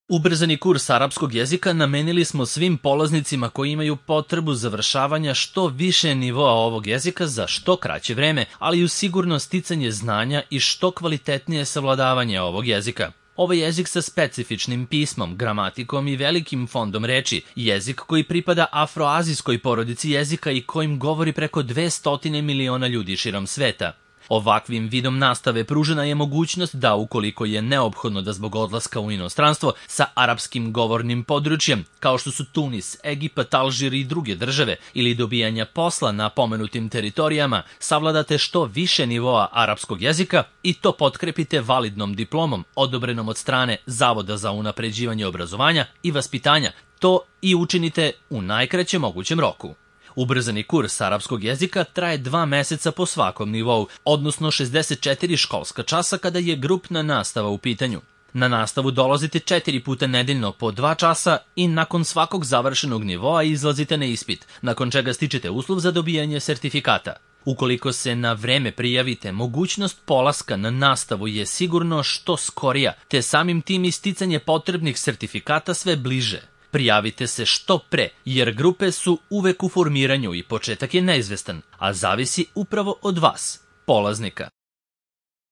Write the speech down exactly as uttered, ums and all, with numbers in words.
Ubrzani kurs arapskog jezika namenili smo svim polaznicima koji imaju potrebu završavanja što više nivoa ovog jezika za što kraće vreme, ali i uz sigurno sticanje znanja i što kvalitetnije savladavanje ovog jezika. Ovo je jezik sa specifičnim pismom, gramatikom i velikim fondom reči, jezik koji pripada afroazijskoj porodici jezika i kojim govori preko dvesta miliona ljudi širom sveta. Ovakvim vidom nastave pružena je mogućnost da, ukoliko je neophodno da zbog odlaska u inostranstvo sa arapskim govornim područjem, kao što su Tunis, Egipat, Alžir i druge države, ili dobijanja posla na pomenutim teritorijama, savladate što više nivoa arapskog jezika i to potkrepite validnom diplomom odobrenom od strane Zavoda za unapređivanje obrazovanja i vaspitanja, to i učinite u najkraćem mogućem roku. Ubrzani kurs arapskog jezika traje dva meseca po svakom nivou, odnosno šezdeset četiri školska časa kada je grupna nastava u pitanju. Na nastavu dolazite četiri puta nedeljno po dva časa i nakon svakog završenog nivoa izlazite na ispit, nakon čega stičete uslov za dobijanje sertifikata. Ukoliko se na vreme prijavite, mogućnost polaska na nastavu je sigurno što skorija, te samim tim isticanje potrebnih sertifikata sve bliže. Prijavite se što pre, jer grupe su uvek u formiranju i početak je neizvestan, a zavisi upravo od vas, polaznika.